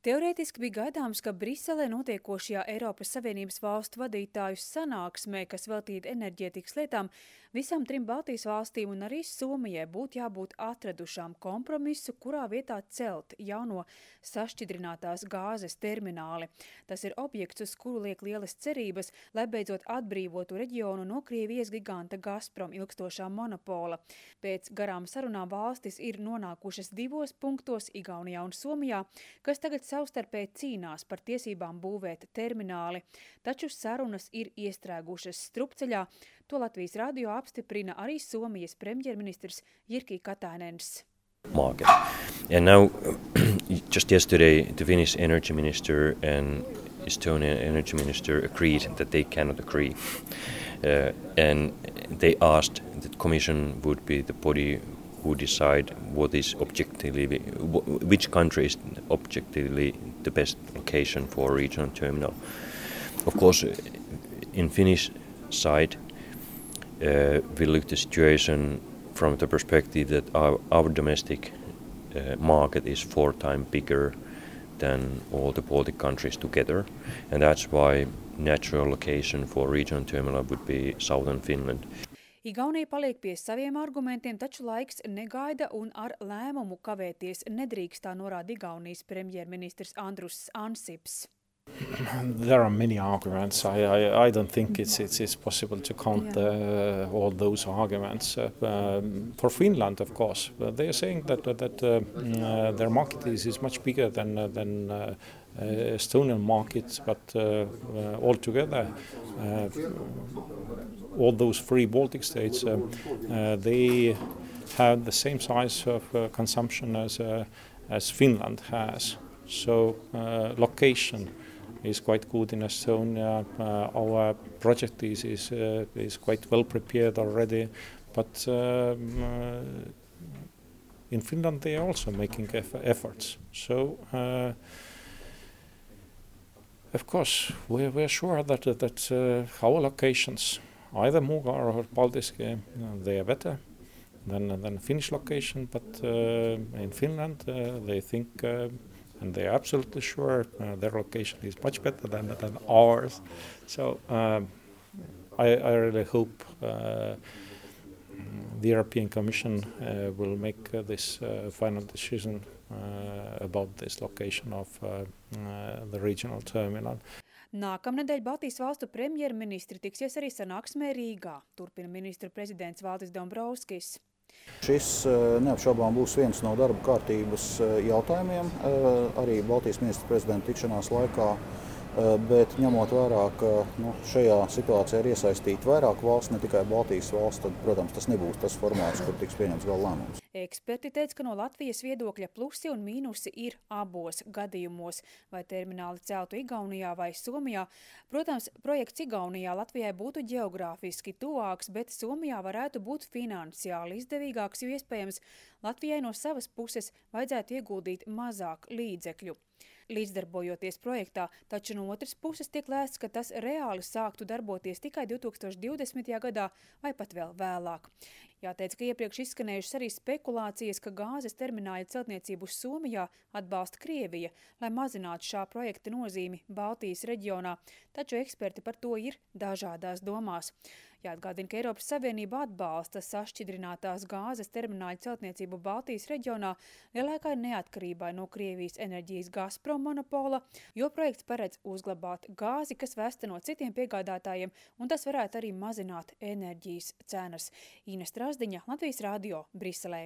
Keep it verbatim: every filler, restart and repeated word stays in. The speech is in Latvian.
Teorētiski bija gaidāms, ka Briselē notiekošajā Eiropas Savienības valstu vadītāju sanāksmē, kas veltīta enerģētikas lietām, visām trim Baltijas valstīm un arī Somijai būtu jābūt atradušām kompromisu, kurā vietā celt jauno sašķidrinātās gāzes termināli. Tas ir objekts, uz kuru liek lielas cerības, lai beidzot atbrīvotu reģionu no Krievijas giganta Gazprom ilgstošā monopola. Pēc garām sarunām valstis ir nonākušas divos punktos Igaunijā un Somijā, kas tagad savstarpēji cīnās par tiesībām būvēt termināli, taču sarunas ir iestrēgušas strupceļā. To Latvijas radio apstiprina arī Somijas premjerministrs Jyrki Katainens. Market. And now, just yesterday, the Finnish energy minister and Estonian energy minister agreed that they cannot agree. Uh, and they asked that the Commission would be the body who decide what is objectively, which country is objectively the best location for a regional terminal. Of course, in Finnish side, uh, we look at the situation from the perspective that our, our domestic uh, market is four times bigger than all the Baltic countries together, and that's why natural location for regional terminal would be southern Finland. Igaunija paliek pie saviem argumentiem, taču laiks negaida un ar lēmumu kavēties nedrīkstā norāda Igaunijas premjerministrs Andrus Ansips. There are many arguments. I, I, I don't think it's, it's, it's possible to count uh, all those arguments. Uh, um, for Finland, of course, uh, they are saying that, that uh, uh, their market is, is much bigger than, uh, than uh, uh, Estonian markets, but uh, uh, altogether, uh, all those three Baltic states, uh, uh, they have the same size of uh, consumption as, uh, as Finland has. So uh, location is quite good in Estonia. Uh, our project is is, uh, is quite well prepared already, but um, uh, in Finland they are also making eff efforts. So uh, of course we're, we're sure that that uh, our locations, either Muuga or Paldiski, you know, they are better than than Finnish location. But uh, in Finland uh, they think. Uh, And they are absolutely sure uh, their location is much better than, than ours. So um, I, I really hope uh, the European Commission uh, will make uh, this uh, final decision uh, about this location of uh, uh, the regional terminal. Nākamnedēļ Baltijas valstu premjerministri tiksies arī sanāksmē Rīgā, turpina ministru prezidents Valdis Dombrovskis. Šis neapšaubām būs viens no darba kārtības jautājumiem arī Baltijas ministru prezidenta tikšanās laikā, bet ņemot vērā, ka nu, šajā situācijā ir iesaistīti vairāk valsts, ne tikai Baltijas valsts, tad, protams, tas nebūs tas formāts, kur tiks pieņemts gala lēmums. Eksperti teica, ka no Latvijas viedokļa plusi un mīnusi ir abos gadījumos, vai termināli celtu Igaunijā vai Somijā. Protams, projekts Igaunijā Latvijai būtu ģeogrāfiski tuvāks, bet Somijā varētu būt finansiāli izdevīgāks, jo iespējams Latvijai no savas puses vajadzētu ieguldīt mazāk līdzekļu. Līdzdarbojoties projektā, taču no otras puses tiek lēsts, ka tas reāli sāktu darboties tikai divi tūkstoši divdesmitajā gadā vai pat vēl vēlāk. Jāteic, ka iepriekš izskanējušas arī spekulācijas, ka gāzes termināļa celtniecību Somijā atbalsta Krievija, lai mazinātu šā projekta nozīmi Baltijas reģionā, taču eksperti par to ir dažādās domās. Jāatgādina, ka Eiropas Savienība atbalsta sašķidrinātās gāzes termināļa celtniecību Baltijas reģionā lielākai neatkarībai no Krievijas enerģijas Gazprom monopola, jo projekts paredz uzglabāt gāzi, kas vesta no citiem piegādātājiem, un tas varētu arī mazināt enerģijas cenas. Ines Trasdiņa, Latvijas radio, Briselē.